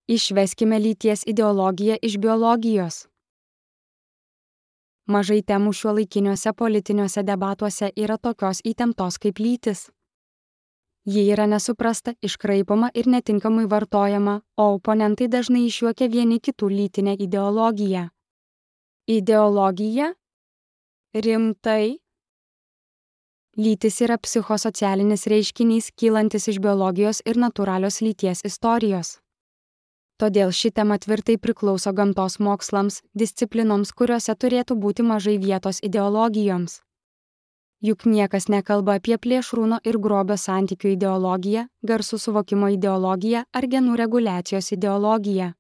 Išveskime lyties ideologiją iš biologijos. Mažai temų šiuolaikiniuose politiniuose debatuose yra tokios įtemptos kaip lytis. Ji yra nesuprasta, iškraipoma ir netinkamai vartojama, o oponentai dažnai išjuokia vieni kitų lytinę ideologiją. Ideologija? Rimtai? Lytis yra psichosocialinis reiškinys, kylantis iš biologijos ir natūralios lyties istorijos. Todėl ši tema tvirtai priklauso gamtos mokslams, disciplinoms, kuriuose turėtų būti mažai vietos ideologijoms. Juk niekas nekalba apie plėšrūno ir grobio santykių ideologiją, garsų suvokimo ideologiją ar genų reguliacijos ideologiją.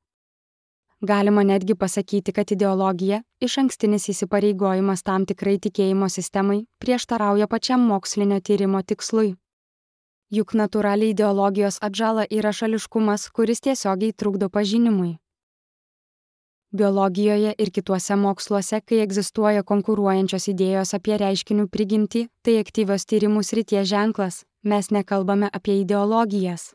Galima netgi pasakyti, kad ideologija, išankstinis įsipareigojimas tam tikrai tikėjimo sistemai, prieštarauja pačiam mokslinio tyrimo tikslui. Juk natūraliai ideologijos atžala yra šališkumas, kuris tiesiogiai trukdo pažinimui. Biologijoje ir kituose moksluose, kai egzistuoja konkuruojančios idėjos apie reiškinių prigimtį, tai aktyvios tyrimų srities ženklas, mes nekalbame apie ideologijas.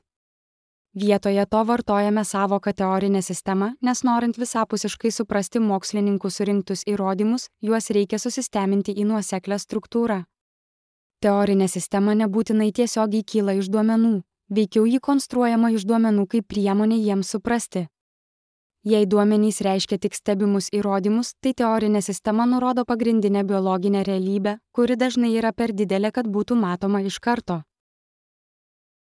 Vietoje to vartojame savoką teorinę sistemą, nes norint visapusiškai suprasti mokslininkų surinktus įrodymus, juos reikia susisteminti į nuoseklią struktūrą. Teorinė sistema nebūtinai tiesiogiai kyla iš duomenų, veikiau ji konstruojama iš duomenų kaip priemonė jiems suprasti. Jei duomenys reiškia tik stebimus įrodymus, tai teorinė sistema nurodo pagrindinę biologinę realybę, kuri dažnai yra per didelė, kad būtų matoma iš karto.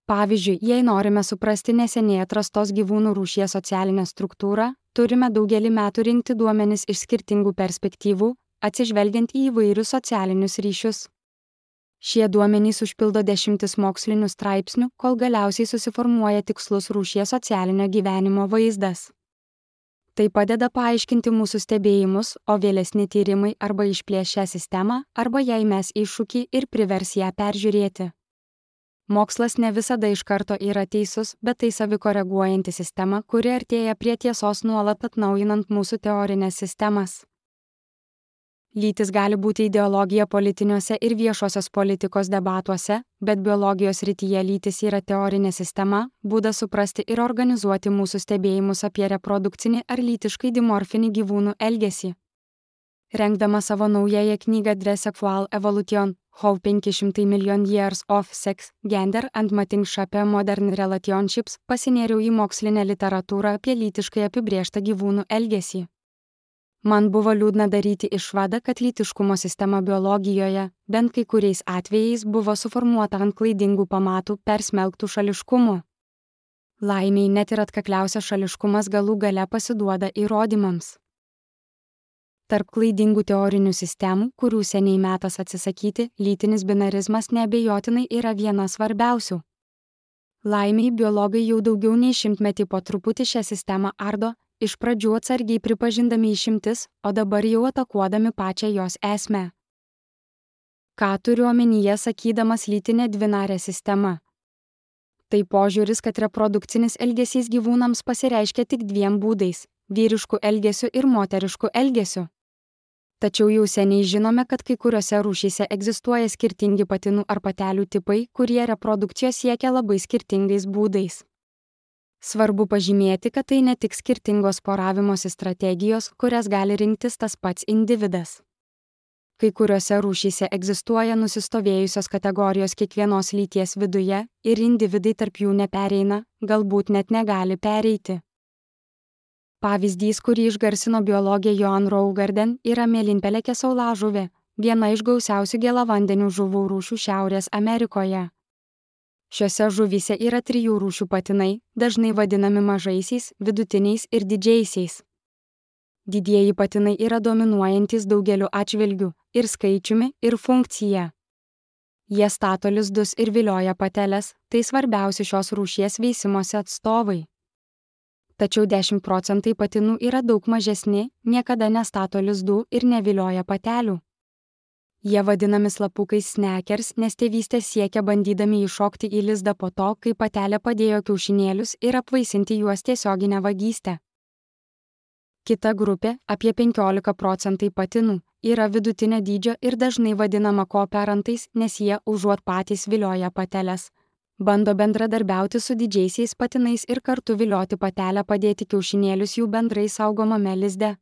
Pavyzdžiui, jei norime suprasti neseniai atrastos gyvūnų rūšies socialinę struktūrą, turime daugelį metų rinkti duomenis iš skirtingų perspektyvų, atsižvelgiant į įvairius socialinius ryšius. Šie duomenys užpildo dešimtis mokslinių straipsnių, kol galiausiai susiformuoja tikslus rūšies socialinio gyvenimo vaizdas. Tai padeda paaiškinti mūsų stebėjimus, o vėlesni tyrimai arba išplėš šią sistemą, arba jai mes iššūkį ir privers ją peržiūrėti. Mokslas ne visada iš karto yra teisus, bet tai savikoreguojanti sistema, kuri artėja prie tiesos nuolat atnaujinant mūsų teorinės sistemas. Lytis gali būti ideologija politiniuose ir viešosios politikos debatuose, bet biologijos srityje lytis yra teorinė sistema, būdas suprasti ir organizuoti mūsų stebėjimus apie reprodukcinį ar lytiškai dimorfinį gyvūnų elgesį. Rengdama savo naująją knygą Dress-Sexual Evolution, How 500 Million Years of Sex, Gender and Mating Shape Modern Relationships, pasinėriau į mokslinę literatūrą apie lytiškai apibrėžtą gyvūnų elgesį. Man buvo liūdna daryti išvadą, kad lytiškumo sistema biologijoje, bent kai kuriais atvejais, buvo suformuota ant klaidingų pamatų persmelktų šališkumu. Laimiai net ir atkakliausias šališkumas galų gale pasiduoda įrodymams. Tarp klaidingų teorinių sistemų, kurių seniai metas atsisakyti, lytinis binarizmas neabejotinai yra viena svarbiausių. Laimiai biologai jau daugiau nei 100 metų po truputį šią sistemą ardo, iš pradžių atsargiai pripažindami išimtis, o dabar jau atakuodami pačią jos esmę. Ką turiu omenyje sakydamas lytinė dvinarė sistema? Tai požiūris, kad reprodukcinis elgesys gyvūnams pasireiškia tik dviem būdais – vyriškų elgesių ir moteriškų elgesių. Tačiau jau seniai žinome, kad kai kuriuose rūšyse egzistuoja skirtingi patinų ar patelių tipai, kurie reprodukcijos siekia labai skirtingais būdais. Svarbu pažymėti, kad tai ne tik skirtingos poravimosi strategijos, kurias gali rinktis tas pats individas. Kai kuriuose rūšyse egzistuoja nusistovėjusios kategorijos kiekvienos lyties viduje ir individai tarp jų nepereina, galbūt net negali pereiti. Pavyzdys, kurį išgarsino biologė Joan Rougardin, yra mėlynpelekė saulažuvė, viena iš gausiausių gėlavandenių žuvų rūšių Šiaurės Amerikoje. Šiose žuvyse yra 3 rūšių patinai, dažnai vadinami mažaisiais, vidutiniais ir didžiaisiais. Didieji patinai yra dominuojantys daugeliu atžvilgių – ir skaičiumi, ir funkcija. Jie stato lizdus ir vilioja pateles, tai svarbiausi šios rūšies veisimosi atstovai. Tačiau 10% patinų yra daug mažesni, niekada nestato lizdų ir nevilioja patelių. Jie vadinami slapukais snekers, nes tėvystė siekia bandydami įšokti į lizdą po to, kai patelė padėjo kiaušinėlius ir apvaisinti juos tiesioginę vagystę. Kita grupė, apie 15% patinų, yra vidutinio dydžio ir dažnai vadinama kooperantais, nes jie užuot patys vilioja pateles, Bando bendradarbiauti su didžiaisiais patinais ir kartu vilioti patelę padėti kiaušinėlius jų bendrai saugomame lizde.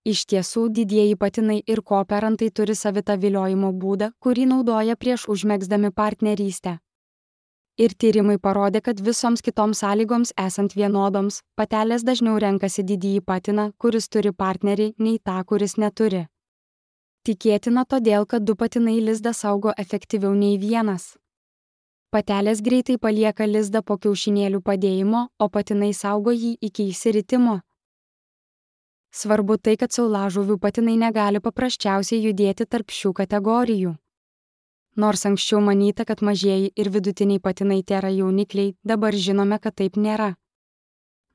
Iš tiesų, didieji patinai ir kooperantai turi savitą viliojimo būdą, kurį naudoja prieš užmegzdami partnerystę. Ir tyrimai parodė, kad visoms kitoms sąlygoms esant vienodoms, patelės dažniau renkasi didįjį patiną, kuris turi partnerį, nei tą, kuris neturi. Tikėtina todėl, kad du patinai lizdą saugo efektyviau nei vienas. Patelės greitai palieka lizdą po kiaušinėlių padėjimo, o patinai saugo jį iki išsiritimo. Svarbu tai, kad saulažuvių patinai negali paprasčiausiai judėti tarp šių kategorijų. Nors anksčiau manyta, kad mažieji ir vidutiniai patinai tėra jaunikliai, dabar žinome, kad taip nėra.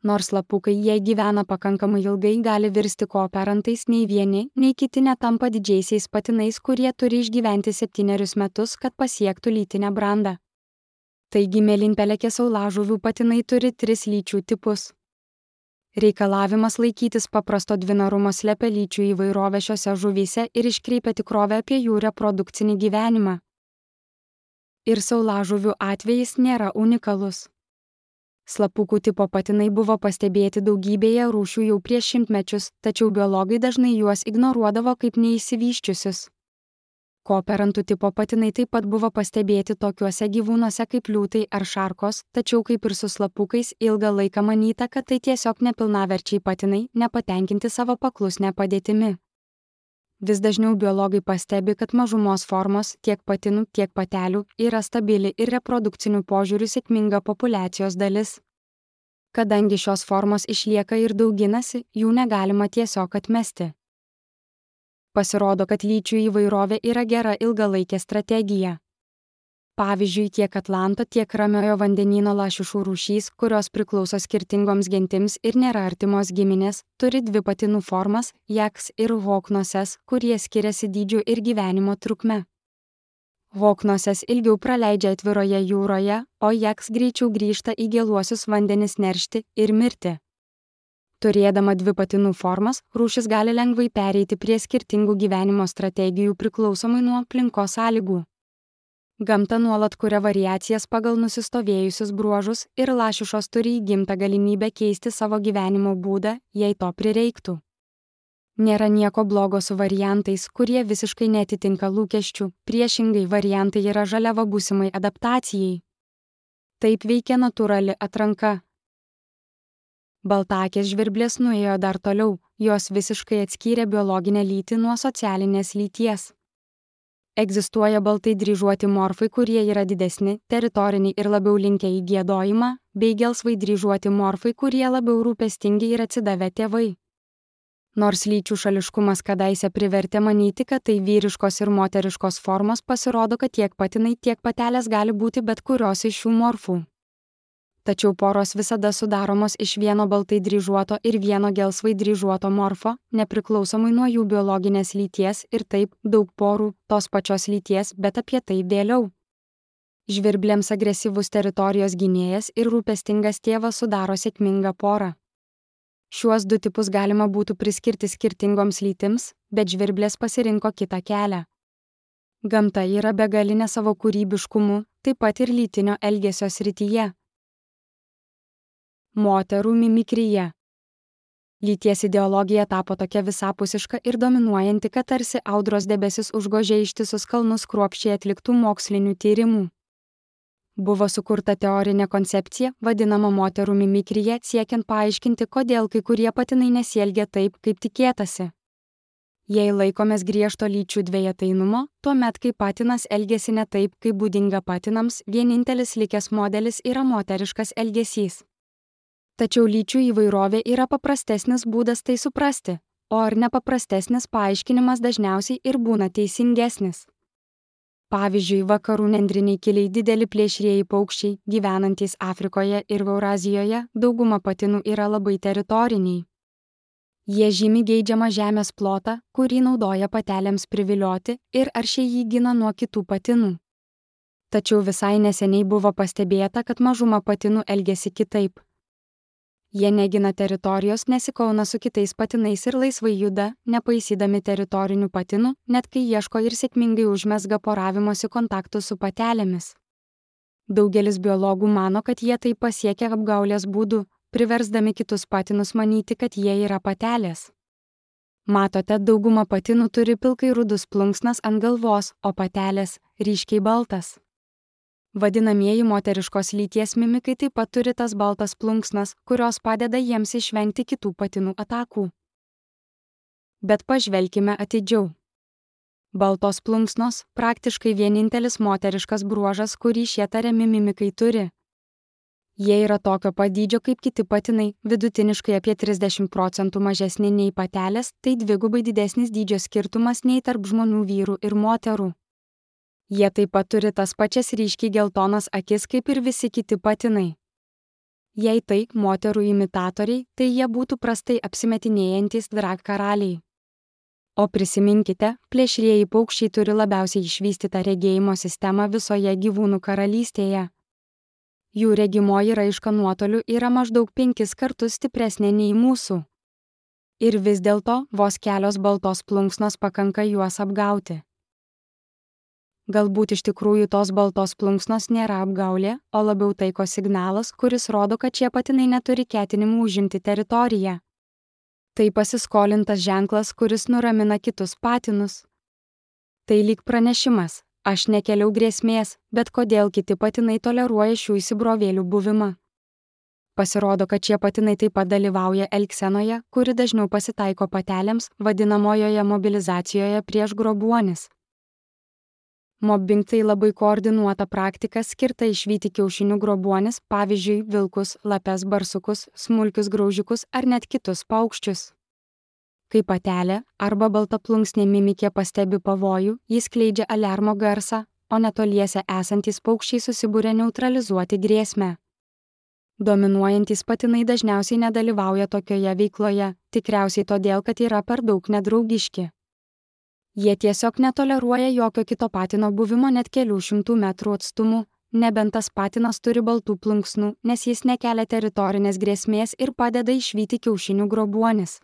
Nors lapukai, jei gyvena pakankamai ilgai, gali virsti kooperantais, nei vieni, nei kiti netampa didžiaisiais patinais, kurie turi išgyventi 7 metus, kad pasiektų lytinę brandą. Taigi mėlynpelekė saulažuvių patinai turi 3 lyčių tipus. Reikalavimas laikytis paprasto dvinarumo slepia lyčių įvairovę šiose žuvyse ir iškreipia tikrovę apie jų reprodukcinį gyvenimą. Ir saulažuvių atvejis nėra unikalus. Slapukų tipo patinai buvo pastebėti daugybėje rūšių jau prieš šimtmečius, tačiau biologai dažnai juos ignoruodavo kaip neišsivysčiusius. Kooperantų tipo patinai taip pat buvo pastebėti tokiuose gyvūnuose kaip liūtai ar šarkos, tačiau kaip ir su slapukais ilgą laiką manyta, kad tai tiesiog nepilnaverčiai patinai, nepatenkinti savo paklusne padėtimi. Vis dažniau biologai pastebi, kad mažumos formos, tiek patinų, tiek patelių, yra stabili ir reprodukcinių požiūrių sėkminga populiacijos dalis. Kadangi šios formos išlieka ir dauginasi, jų negalima tiesiog atmesti. Pasirodo, kad lyčių įvairovė yra gera ilgalaikė strategija. Pavyzdžiui, tiek Atlanto, tiek Ramiojo vandenyno lašišų rūšys, kurios priklauso skirtingoms gentims ir nėra artimos giminės, turi 2 patinų formas – jaks ir hoknoses, kurie skiriasi dydžiu ir gyvenimo trukme. Hoknoses ilgiau praleidžia atviroje jūroje, o jaks greičiau grįžta į gėluosius vandenis neršti ir mirti. Turėdama 2 patinų formas, rūšis gali lengvai pereiti prie skirtingų gyvenimo strategijų priklausomai nuo aplinkos sąlygų. Gamta nuolat kuria variacijas pagal nusistovėjusius bruožus ir lašišos turi įgimtą galimybę keisti savo gyvenimo būdą, jei to prireiktų. Nėra nieko blogo su variantais, kurie visiškai netitinka lūkesčių, priešingai variantai yra žaliava būsimai adaptacijai. Taip veikia natūrali atranka. Baltaakės žvirblės nuėjo dar toliau, jos visiškai atskyrė biologinę lytį nuo socialinės lyties. Egzistuoja baltai dryžuoti morfai, kurie yra didesni, teritoriniai ir labiau linkę į giedojimą, bei gelsvai dryžuoti morfai, kurie labiau rūpestingi ir atsidavę tėvai. Nors lyčių šališkumas kadaise privertė manyti, kad tai vyriškos ir moteriškos formos, pasirodo, kad tiek patinai, tiek patelės gali būti bet kurios iš šių morfų. Tačiau poros visada sudaromos iš vieno baltai dryžuoto ir vieno gelsvai dryžuoto morfo, nepriklausomai nuo jų biologinės lyties ir taip daug porų tos pačios lyties, bet apie tai vėliau. Žvirblėms agresyvus teritorijos gynėjas ir rūpestingas tėvas sudaro sėkmingą porą. Šiuos 2 tipus galima būtų priskirti skirtingoms lytims, bet žvirblės pasirinko kitą kelią. Gamta yra begalinė savo kūrybiškumu, taip pat ir lytinio elgesio srityje. Moterų mimikrija. Lyties ideologija tapo tokia visapusiška ir dominuojanti, kad tarsi audros debesis užgožė ištisus kalnus kruopščiai atliktų mokslinių tyrimų. Buvo sukurta teorinė koncepcija, vadinama moterų mimikrija, siekiant paaiškinti, kodėl kai kurie patinai nesielgia taip, kaip tikėtasi. Jei laikomės griežto lyčių dvejetainumo, tuomet kai patinas elgiasi ne taip, kaip būdinga patinams, vienintelis likęs modelis yra moteriškas elgesys. Tačiau lyčių įvairovė yra paprastesnis būdas tai suprasti, o ar nepaprastesnis paaiškinimas dažniausiai ir būna teisingesnis. Pavyzdžiui, vakarų nendriniai kiliai dideli plėšrieji paukščiai, gyvenantys Afrikoje ir Eurazijoje, dauguma patinų yra labai teritoriniai. Jie žymi geidžiamą žemės plotą, kurį naudoja patelėms privilioti ir aršiai jį gina nuo kitų patinų. Tačiau visai neseniai buvo pastebėta, kad mažuma patinų elgiasi kitaip. Jie negina teritorijos, nesikauna su kitais patinais ir laisvai juda, nepaisydami teritorinių patinų, net kai ieško ir sėkmingai užmezga poravimosi kontaktų su patelėmis. Daugelis biologų mano, kad jie tai pasiekia apgaulės būdu, priversdami kitus patinus manyti, kad jie yra patelės. Matote, dauguma patinų turi pilkai rudus plunksnas ant galvos, o patelės – ryškiai baltas. Vadinamieji moteriškos lyties mimikai taip pat turi tas baltas plunksnas, kurios padeda jiems išvengti kitų patinų atakų. Bet pažvelkime atidžiau. Baltos plunksnos – praktiškai vienintelis moteriškas bruožas, kurį šie tariami mimikai turi. Jie yra tokio pat dydžio kaip kiti patinai, vidutiniškai apie 30% mažesni nei patelės, tai dvigubai didesnis dydžio skirtumas nei tarp žmonių vyrų ir moterų. Jie taip pat turi tas pačias ryškiai geltonas akis kaip ir visi kiti patinai. Jei tai moterų imitatoriai, tai jie būtų prastai apsimetinėjantys drag karaliai. O prisiminkite, plėšrieji paukščiai turi labiausiai išvystytą regėjimo sistemą visoje gyvūnų karalystėje. Jų regimoji raiška nuotoliu yra maždaug 5 kartus stipresnė nei mūsų. Ir vis dėlto vos kelios baltos plunksnos pakanka juos apgauti. Galbūt iš tikrųjų tos baltos plunksnos nėra apgaulė, o labiau taiko signalas, kuris rodo, kad šie patinai neturi ketinimų užimti teritoriją. Tai pasiskolintas ženklas, kuris nuramina kitus patinus. Tai lyg pranešimas. Aš nekeliau grėsmės, bet kodėl kiti patinai toleruoja šių įsibrovėlių buvimą? Pasirodo, kad šie patinai taip pat dalyvauja elgsenoje, kuri dažniau pasitaiko patelėms, vadinamojoje mobilizacijoje prieš grobuonis. Mobbing tai labai koordinuota praktika skirta išvyti kiaušinių grobuonis, pavyzdžiui, vilkus, lapes, barsukus, smulkius graužikus ar net kitus paukščius. Kai patelė arba baltaplunksnė mimikė pastebi pavojų, jis skleidžia aliarmo garsą, o netoliese esantys paukščiai susibūrė neutralizuoti grėsmę. Dominuojantys patinai dažniausiai nedalyvauja tokioje veikloje, tikriausiai todėl, kad yra per daug nedraugiški. Jie tiesiog netoleruoja jokio kito patino buvimo net kelių šimtų metrų atstumu, nebent tas patinas turi baltų plunksnų, nes jis nekelia teritorinės grėsmės ir padeda išvyti kiaušinių grobuonis.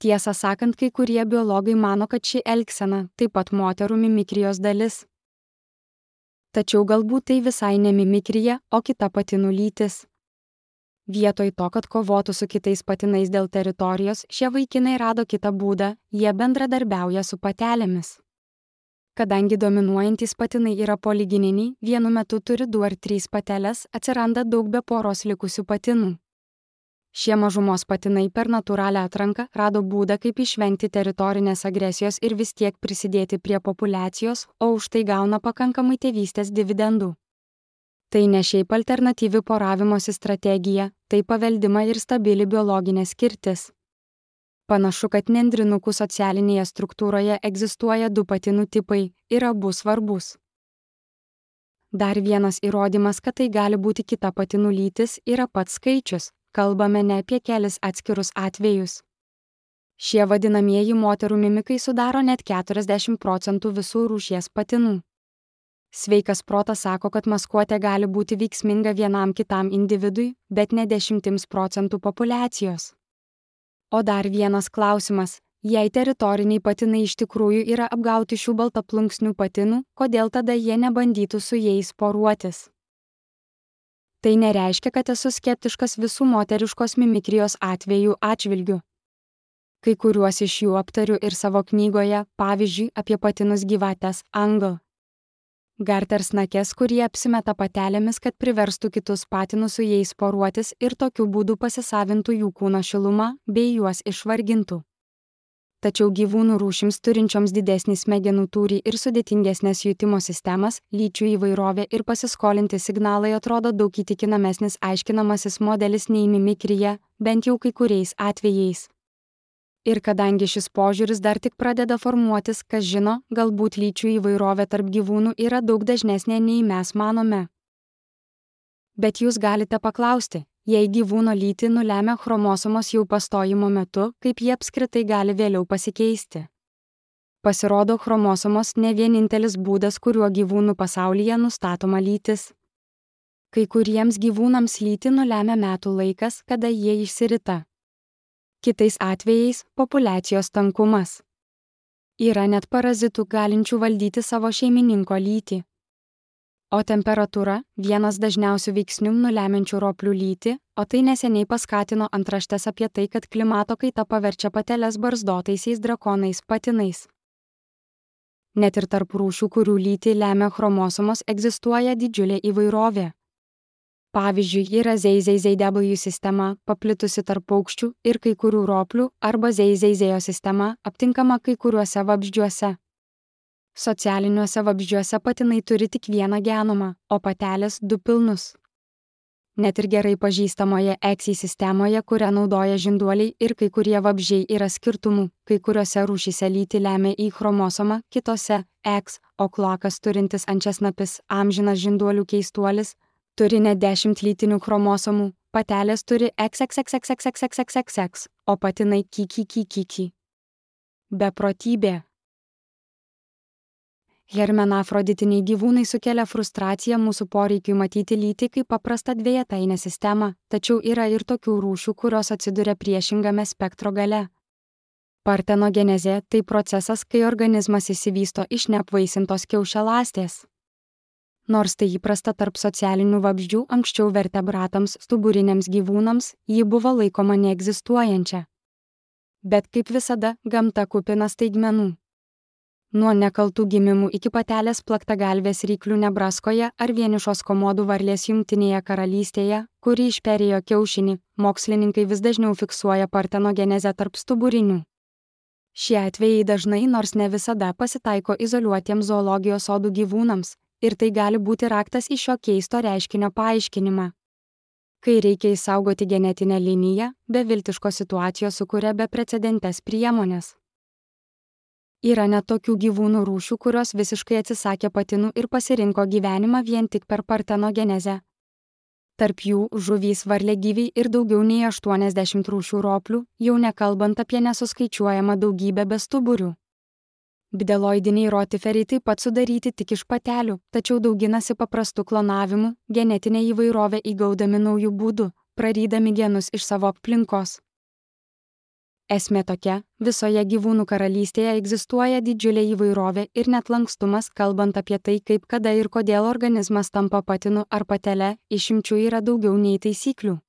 Tiesą sakant, kai kurie biologai mano, kad ši elgsena taip pat moterų mimikrijos dalis. Tačiau galbūt tai visai ne mimikrija, o kita patinų lytis. Vietoj to, kad kovotų su kitais patinais dėl teritorijos, šie vaikinai rado kitą būdą, jie bendradarbiauja su patelėmis. Kadangi dominuojantys patinai yra poligininiai, vienu metu turi 2 ar 3 pateles, atsiranda daug be poros likusių patinų. Šie mažumos patinai per natūralią atranką rado būdą, kaip išvengti teritorinės agresijos ir vis tiek prisidėti prie populiacijos, o už tai gauna pakankamai tėvystės dividendų. Tai ne šiaip alternatyvi poravimosi strategija, tai paveldima ir stabili biologinė skirtis. Panašu, kad nendrinukų socialinėje struktūroje egzistuoja 2 patinų tipai ir abu svarbus. Dar vienas įrodymas, kad tai gali būti kita patinų lytis, yra pats skaičius. Kalbame ne apie kelis atskirus atvejus. Šie vadinamieji moterų mimikai sudaro net 40% visų rūšies patinų. Sveikas protas sako, kad maskuotė gali būti veiksminga vienam kitam individui, bet ne 10% populiacijos. O dar vienas klausimas. Jei teritoriniai patinai iš tikrųjų yra apgauti šių baltaplunksnių patinų, kodėl tada jie nebandytų su jais poruotis? Tai nereiškia, kad esu skeptiškas visų moteriškos mimikrijos atvejų atžvilgiu. Kai kuriuos iš jų aptariu ir savo knygoje, pavyzdžiui, apie patinus gyvates Angle. Gartersnakes, kurie apsimeta patelėmis, kad priverstų kitus patinus su jais poruotis ir tokiu būdu pasisavintų jų kūno šilumą bei juos išvargintų. Tačiau gyvūnų rūšims turinčioms didesnį smegenų tūrį ir sudėtingesnės jutimo sistemas, lyčių įvairovė ir pasiskolinti signalai atrodo daug įtikinamesnis aiškinamasis modelis nei mimikrija, bent jau kai kuriais atvejais. Ir kadangi šis požiūris dar tik pradeda formuotis, kas žino, galbūt lyčių įvairovė tarp gyvūnų yra daug dažnesnė nei mes manome. Bet jūs galite paklausti, jei gyvūno lytį nulemia chromosomos jau pastojimo metu, kaip jie apskritai gali vėliau pasikeisti. Pasirodo, chromosomos ne vienintelis būdas, kuriuo gyvūnų pasaulyje nustatoma lytis. Kai kuriems gyvūnams lytį nulemia metų laikas, kada jie išsirita. Kitais atvejais – populiacijos tankumas. Yra net parazitų galinčių valdyti savo šeimininko lytį. O temperatūra – vienas dažniausių veiksnių nulemiančių roplių lytį, o tai neseniai paskatino antraštes apie tai, kad klimato kaita paverčia pateles barzdotaisiais drakonais patinais. Net ir tarp rūšių, kurių lytį lemia chromosomos, egzistuoja didžiulė įvairovė. Pavyzdžiui, yra ZZZW sistema, paplitusi tarp paukščių ir kai kurių roplių, arba ZZZO sistema, aptinkama kai kuriuose vabzdžiuose. Socialiniuose vabzdžiuose patinai turi tik vieną genomą, o patelės 2 pilnus. Net ir gerai pažįstamoje XY sistemoje, kurią naudoja žinduoliai ir kai kurie vabzdžiai, yra skirtumų, kai kuriuose rūšyse lytį lemia Y chromosoma, kitose X, o kloakas turintis ančiasnapis, amžinas žinduolių keistuolis, turi net 10 lytinių chromosomų, patelės turi XXXXXXXXX, o patinai KKKKK. Beprotybė. Hermenafroditiniai gyvūnai sukelia frustraciją mūsų poreikiui matyti lytį kaip paprastą dvejetainę sistemą, tačiau yra ir tokių rūšių, kurios atsiduria priešingame spektro gale. Partenogenezė – tai procesas, kai organizmas išsivysto iš neapvaisintos kiaušialąstės. Nors tai įprasta tarp socialinių vabzdžių, anksčiau vertebratams, stuburiniams gyvūnams, ji buvo laikoma neegzistuojančia. Bet kaip visada, gamta kupina staigmenų. Nuo nekaltų gimimų iki patelės plaktagalvės ryklių Nebraskoje ar vienišos komodų varlės Jungtinėje karalystėje, kuri išperėjo kiaušinį, mokslininkai vis dažniau fiksuoja partenogenezę tarp stuburinių. Šie atvejai dažnai, nors ne visada, pasitaiko izoliuotiems zoologijos sodų gyvūnams, ir tai gali būti raktas į šio keisto reiškinio paaiškinimą. Kai reikia išsaugoti genetinę liniją, beviltiškos situacijos sukuria beprecedentes priemonės. Yra net tokių gyvūnų rūšių, kurios visiškai atsisakė patinų ir pasirinko gyvenimą vien tik per partenogenezę. Tarp jų žuvys, varliagyviai ir daugiau nei 80 rūšių roplių, jau nekalbant apie nesuskaičiuojamą daugybę bestuburių. Bdeloidiniai rotiferiai taip pat sudaryti tik iš patelių, tačiau dauginasi paprastu klonavimu, genetinę įvairovę įgaudami naujų būdų, prarydami genus iš savo aplinkos. Esmė tokia, visoje gyvūnų karalystėje egzistuoja didžiulė įvairovė ir net lankstumas, kalbant apie tai, kaip, kada ir kodėl organizmas tampa patinu ar patele, išimčių yra daugiau nei taisyklių.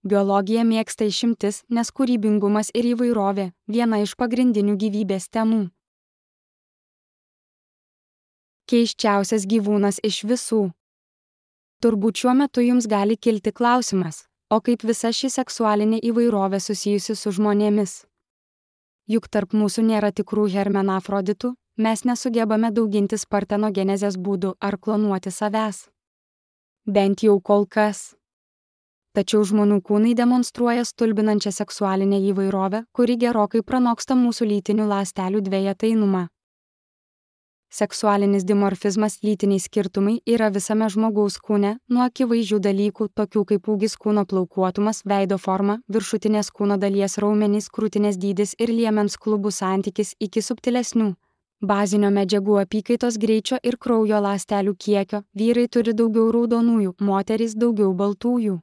Biologija mėgsta išimtis, nes kūrybingumas ir įvairovė – viena iš pagrindinių gyvybės temų. Keisčiausias gyvūnas iš visų. Turbūt šiuo metu jums gali kilti klausimas, o kaip visa ši seksualinė įvairovė susijusi su žmonėmis? Juk tarp mūsų nėra tikrų hermenafroditų, mes nesugebame daugintis partenogenezės būdų ar klonuoti savęs. Bent jau kol kas. Tačiau žmonių kūnai demonstruoja stulbinančią seksualinę įvairovę, kuri gerokai pranoksta mūsų lytinių ląstelių dvejetainumą. Seksualinis dimorfizmas, lytiniai skirtumai yra visame žmogaus kūne, nuo akivaizdžių dalykų, tokių kaip ūgis, kūno plaukuotumas, veido forma, viršutinės kūno dalies raumenys, krūtinės dydis ir liemens klubų santykis, iki subtilesnių bazinio medžiagų apykaitos greičio ir kraujo ląstelių kiekio. Vyrai turi daugiau raudonųjų, moterys daugiau baltųjų.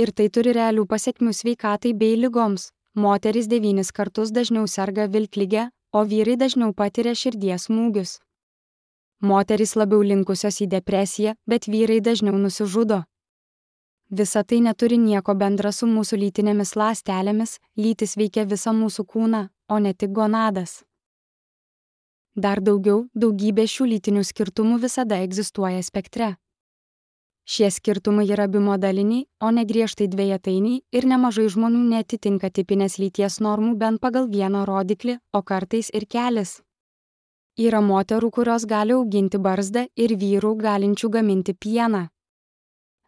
Ir tai turi realių pasekmių sveikatai bei ligoms. Moterys 9 kartus dažniau serga vilklige, o vyrai dažniau patiria širdies smūgius. Moterys labiau linkusios į depresiją, bet vyrai dažniau nusižudo. Visa tai neturi nieko bendra su mūsų lytinėmis ląstelėmis, lytis veikia visą mūsų kūną, o ne tik gonadas. Dar daugiau, daugybė šių lytinių skirtumų visada egzistuoja spektre. Šie skirtumai yra bimodaliniai, o ne griežtai dvejetainiai ir nemažai žmonių neatitinka tipinės lyties normų bent pagal vieną rodiklį, o kartais ir kelis. Yra moterų, kurios gali auginti barzdą ir vyrų galinčių gaminti pieną.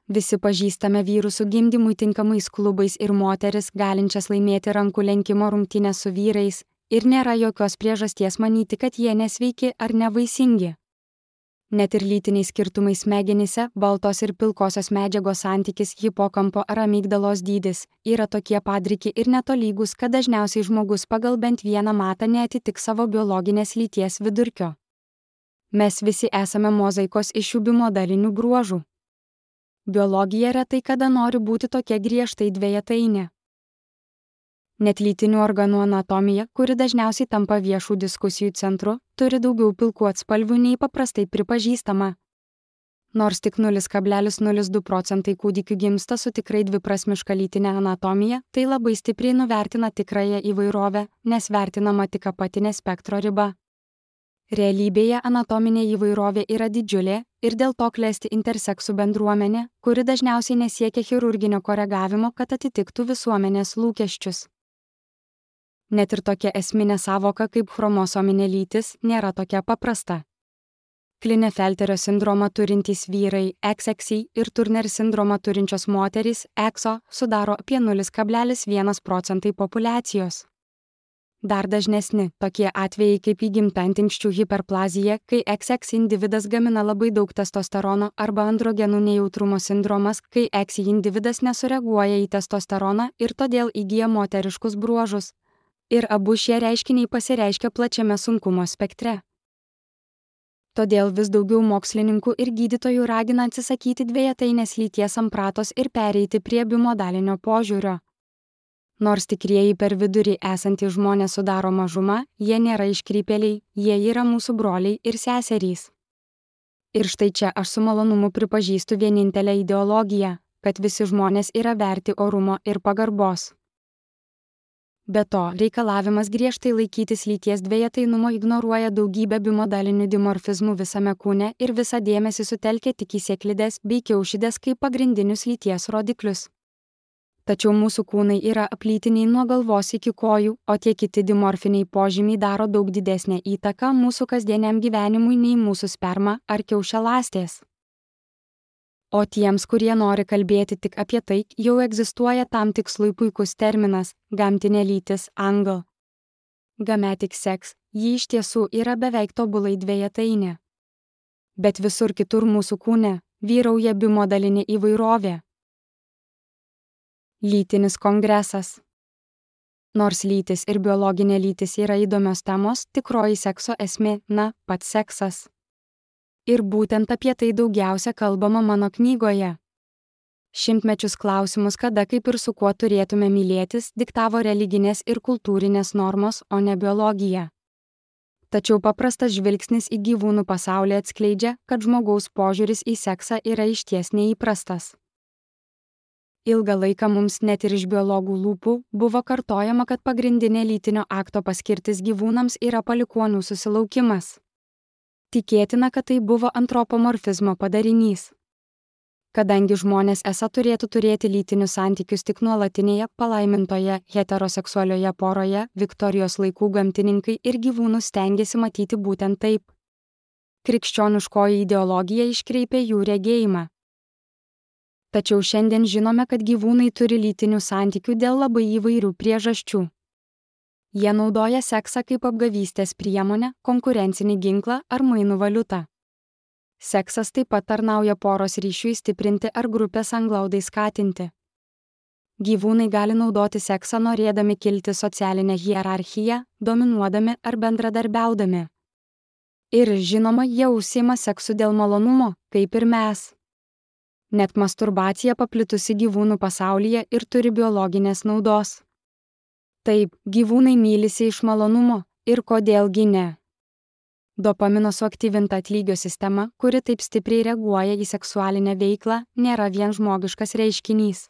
Visi pažįstame vyrų su gimdymui tinkamais klubais ir moteris galinčias laimėti rankų lenkimo rungtynes su vyrais ir nėra jokios priežasties manyti, kad jie nesveiki ar nevaisingi. Net ir lytiniai skirtumai smegenyse, baltos ir pilkosios medžiagos santykis, hipokampo ar amygdalos dydis yra tokie padriki ir netolygus, kad dažniausiai žmogus pagal bent vieną matą neatitiks savo biologinės lyties vidurkio. Mes visi esame mozaikos iš šių bimodalinių bruožų. Biologija retai kada nori būti tokia griežtai dvejetainė. Net lytinių organų anatomija, kuri dažniausiai tampa viešų diskusijų centru, turi daugiau pilkų atspalvių nei paprastai pripažįstama. Nors tik 0,02 procentai kūdikių gimsta su tikrai dviprasmiška lytinė anatomija, tai labai stipriai nuvertina tikrąją įvairovę, nes vertinama tik apatinė spektro riba. Realybėje anatominė įvairovė yra didžiulė ir dėl to klesti interseksų bendruomenė, kuri dažniausiai nesiekia chirurginio koregavimo, kad atitiktų visuomenės lūkesčius. Net ir tokia esminė savoka kaip chromosominė lytis nėra tokia paprasta. Klinefelterio sindromą turintys vyrai XXI ir Turner sindromą turinčios moterys XO sudaro apie 0,1 procentai populiacijos. Dar dažnesni tokie atvejai kaip įgimta antinksčių hiperplazija, kai XX individas gamina labai daug testosterono, arba androgenų nejautrumo sindromas, kai XY individas nesureaguoja į testosteroną ir todėl įgyja moteriškus bruožus. Ir abu šie reiškiniai pasireiškia plačiame sunkumo spektre. Todėl vis daugiau mokslininkų ir gydytojų ragina atsisakyti dvejetainės lyties sampratos ir pereiti prie bimodalinio požiūrio. Nors tikrieji per vidurį esantys žmonės sudaro mažumą, jie nėra iškrypėliai, jie yra mūsų broliai ir seserys. Ir štai čia aš su malonumu pripažįstu vienintelę ideologiją, kad visi žmonės yra verti orumo ir pagarbos. Be to, reikalavimas griežtai laikytis lyties dvejetainumo ignoruoja daugybę bimodalinių dimorfizmų visame kūne ir visą dėmesį sutelkia tik į sėklides bei kiaušidės kaip pagrindinius lyties rodiklius. Tačiau mūsų kūnai yra aplytiniai nuo galvos iki kojų, o tie kiti dimorfiniai požymiai daro daug didesnę įtaką mūsų kasdieniam gyvenimui nei mūsų sperma ar kiaušialąstės. O tiems, kurie nori kalbėti tik apie tai, jau egzistuoja tam tikslui puikus terminas – gamtinė lytis angl. Gametic sex, ji iš tiesų yra beveik tobulai dvejetainė. Bet visur kitur mūsų kūne vyrauja bimodalinė įvairovė. Lytinis kongresas. Nors lytis ir biologinė lytis yra įdomios temos, tikroji sekso esmė – pats seksas. Ir būtent apie tai daugiausia kalbama mano knygoje. Šimtmečius klausimus, kada, kaip ir su kuo turėtume mylėtis, diktavo religinės ir kultūrinės normos, o ne biologija. Tačiau paprastas žvilgsnis į gyvūnų pasaulį atskleidžia, kad žmogaus požiūris į seksą yra išties neįprastas. Ilgą laiką mums net ir iš biologų lūpų buvo kartojama, kad pagrindinė lytinio akto paskirtis gyvūnams yra palikuonių susilaukimas. Tikėtina, kad tai buvo antropomorfizmo padarinys. Kadangi žmonės esą turėtų turėti lytinius santykius tik nuolatinėje, palaimintoje, heteroseksualioje poroje, Viktorijos laikų gamtininkai ir gyvūnus stengiasi matyti būtent taip. Krikščioniškoji ideologija iškreipė jų regėjimą. Tačiau šiandien žinome, kad gyvūnai turi lytinių santykių dėl labai įvairių priežasčių. Jie naudoja seksą kaip apgavystės priemonę, konkurencinį ginklą ar mainų valiutą. Seksas taip pat tarnauja poros ryšiui stiprinti ar grupės anglaudai skatinti. Gyvūnai gali naudoti seksą norėdami kilti socialinę hierarchiją, dominuodami ar bendradarbiaudami. Ir žinoma, jie užsiima seksu dėl malonumo, kaip ir mes. Net masturbacija paplitusi gyvūnų pasaulyje ir turi biologinės naudos. Taip, gyvūnai mylisi iš malonumo ir kodėlgi ne. Dopamino suaktyvinta atlygio sistema, kuri taip stipriai reaguoja į seksualinę veiklą, nėra vien žmogiškas reiškinys.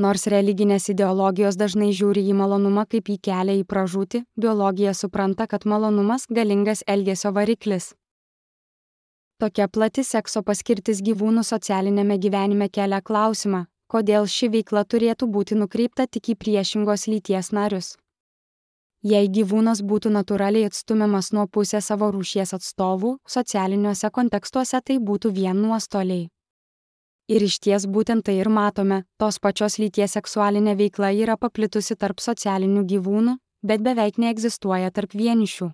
Nors religinės ideologijos dažnai žiūri į malonumą kaip į kelią į pražūtį, biologija supranta, kad malonumas galingas elgesio variklis. Tokia plati sekso paskirtis gyvūnų socialinėme gyvenime kelia klausimą, kodėl ši veikla turėtų būti nukreipta tik į priešingos lyties narius. Jei gyvūnas būtų natūraliai atstumiamas nuo pusės savo rūšies atstovų, socialiniuose kontekstuose tai būtų vien nuostoliai. Ir išties būtent tai ir matome, tos pačios lyties seksualinė veikla yra paplitusi tarp socialinių gyvūnų, bet beveik neegzistuoja tarp vienišių.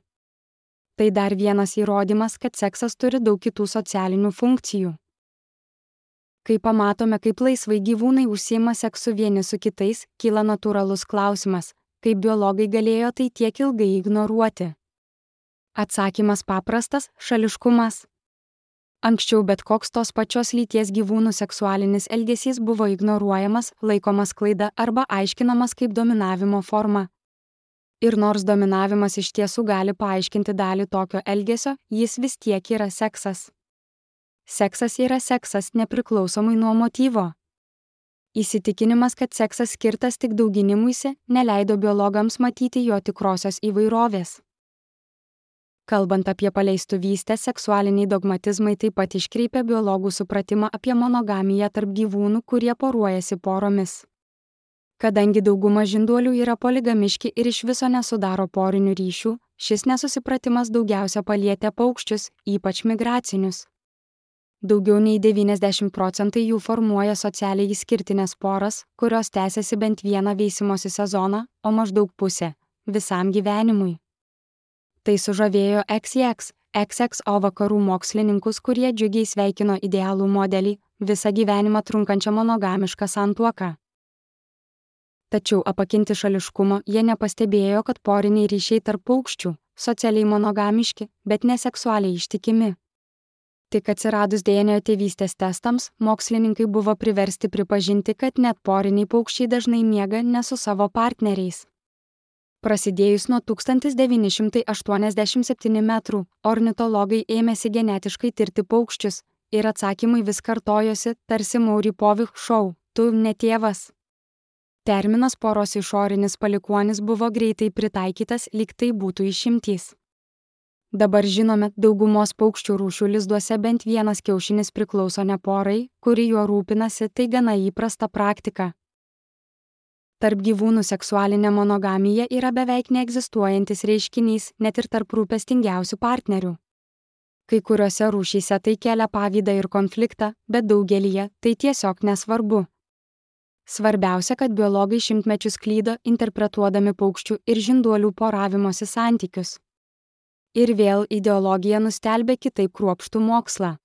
Tai dar vienas įrodymas, kad seksas turi daug kitų socialinių funkcijų. Kai pamatome, kaip laisvai gyvūnai užsiima seksu vieni su kitais, kyla natūralus klausimas, kaip biologai galėjo tai tiek ilgai ignoruoti. Atsakymas paprastas – šališkumas. Anksčiau bet koks tos pačios lyties gyvūnų seksualinis elgesys buvo ignoruojamas, laikomas klaida arba aiškinamas kaip dominavimo forma. Ir nors dominavimas iš tiesų gali paaiškinti dalį tokio elgesio, jis vis tiek yra seksas. Seksas yra seksas nepriklausomai nuo motyvo. Įsitikinimas, kad seksas skirtas tik dauginimuisi, neleido biologams matyti jo tikrosios įvairovės. Kalbant apie paleistuvystę, seksualiniai dogmatizmai taip pat iškreipia biologų supratimą apie monogamiją tarp gyvūnų, kurie poruojasi poromis. Kadangi dauguma žinduolių yra poligamiški ir iš viso nesudaro porinių ryšių, šis nesusipratimas daugiausia palietė paukščius, ypač migracinius. Daugiau nei 90% jų formuoja socialiai išskirtinės poras, kurios tęsiasi bent vieną veisimosi sezoną, o maždaug pusę – visam gyvenimui. Tai sužavėjo XXO vakarų mokslininkus, kurie džiugiai sveikino idealų modelį – visą gyvenimą trunkančią monogamišką santuoką. Tačiau apakinti šališkumo jie nepastebėjo, kad poriniai ryšiai tarp paukščių – socialiai monogamiški, bet neseksualiai ištikimi. Tik atsiradus DNA tėvystės testams, mokslininkai buvo priversti pripažinti, kad net poriniai paukščiai dažnai miega ne su savo partneriais. Prasidėjus nuo 1987 metrų, ornitologai ėmėsi genetiškai tirti paukščius ir atsakymai vis kartojosi, tarsi Maury Povich šou – tu ne tėvas. Terminas poros išorinis palikuonis buvo greitai pritaikytas, lyg tai būtų išimtys. Dabar žinome, daugumos paukščių rūšių lizduose bent vienas kiaušinis priklauso ne porai, kuri juo rūpinasi, tai gana įprasta praktika. Tarp gyvūnų seksualinė monogamija yra beveik neegzistuojantis reiškinys, net ir tarp rūpestingiausių partnerių. Kai kuriuose rūšyse tai kelia pavydą ir konfliktą, bet daugelyje tai tiesiog nesvarbu. Svarbiausia, kad biologai šimtmečius klydo interpretuodami paukščių ir žinduolių poravimosi santykius. Ir vėl ideologija nustelbė kitaip kruopštų mokslą.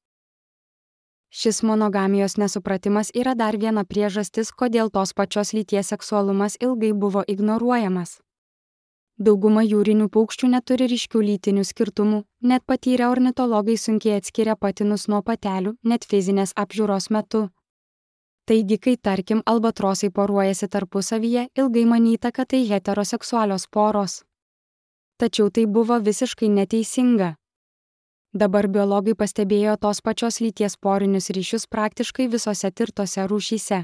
Šis monogamijos nesupratimas yra dar viena priežastis, kodėl tos pačios lyties seksualumas ilgai buvo ignoruojamas. Dauguma jūrinių paukščių neturi ryškių lytinių skirtumų, net patyrę ornitologai sunkiai atskiria patinus nuo patelių, net fizinės apžiūros metu. Taigi, kai tarkim albatrosai poruojasi tarpusavyje, ilgai manyta, kad tai heteroseksualios poros. Tačiau tai buvo visiškai neteisinga. Dabar biologai pastebėjo tos pačios lyties porinius ryšius praktiškai visose tirtose rūšyse.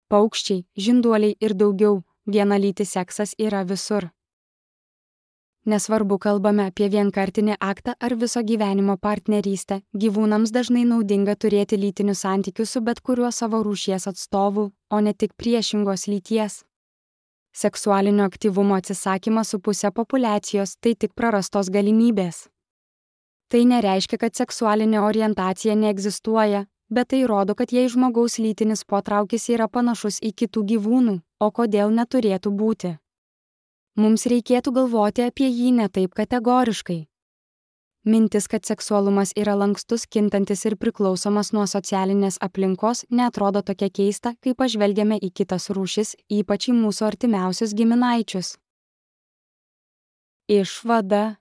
Paukščiai, žinduoliai ir daugiau, vienalytis seksas yra visur. Nesvarbu, kalbame apie vienkartinį aktą ar viso gyvenimo partnerystę, gyvūnams dažnai naudinga turėti lytinių santykių su bet kuriuo savo rūšies atstovu, o ne tik priešingos lyties. Seksualinio aktyvumo atsisakymas su pusė populiacijos tai tik prarastos galimybės. Tai nereiškia, kad seksualinė orientacija neegzistuoja, bet tai rodo, kad jei žmogaus lytinis potraukis yra panašus į kitų gyvūnų, o kodėl neturėtų būti. Mums reikėtų galvoti apie jį ne taip kategoriškai. Mintis, kad seksualumas yra lankstus, kintantis ir priklausomas nuo socialinės aplinkos, neatrodo tokia keista, kai pažvelgiame į kitas rūšis, ypač į mūsų artimiausius giminaičius. Išvada.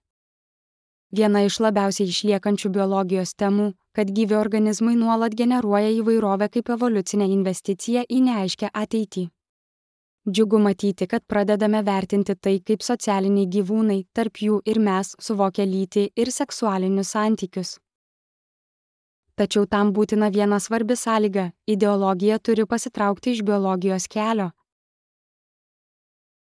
Viena iš labiausiai išliekančių biologijos temų, kad gyvi organizmai nuolat generuoja įvairovę kaip evoliucinę investiciją į neaiškią ateitį. Džiugu matyti, kad pradedame vertinti tai, kaip socialiniai gyvūnai, tarp jų ir mes, suvokia lytį ir seksualinius santykius. Tačiau tam būtina viena svarbi sąlyga – ideologija turi pasitraukti iš biologijos kelio.